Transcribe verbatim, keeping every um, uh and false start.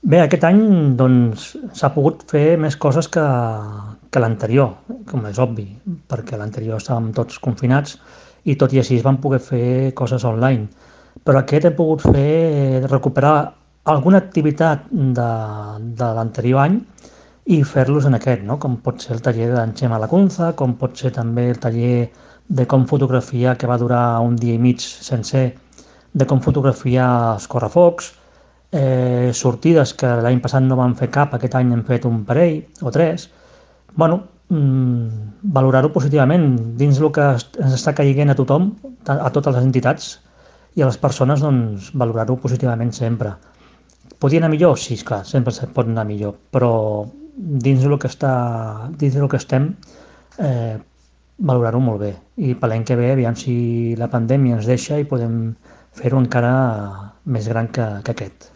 Bé, aquest any doncs s'ha pogut fer més coses que, que l'anterior, com és obvi, perquè l'anterior estàvem tots confinats i tot i així es van poder fer coses online. Però aquest hem pogut fer, recuperar alguna activitat de, de l'anterior any i fer-los en aquest, no? Com pot ser el taller d'en Xema Lacunza, com pot ser també el taller de com fotografiar, que va durar un dia i mig sencer, de com fotografiar els correfocs, eh, sortides que l'any passat no vam fer cap, aquest any hem fet un parell o tres. Bueno, mm, valorar-ho positivament dins el que es- ens està caient a tothom, a a totes les entitats i a les persones, doncs valorar-ho positivament sempre. Podia anar millor? Sí, esclar, sempre se pot anar millor, però dins del que està, dins del que estem, eh, valorar-ho molt bé. I per l'any que ve, aviam si la pandèmia ens deixa i podem fer-ho encara més gran que, que aquest.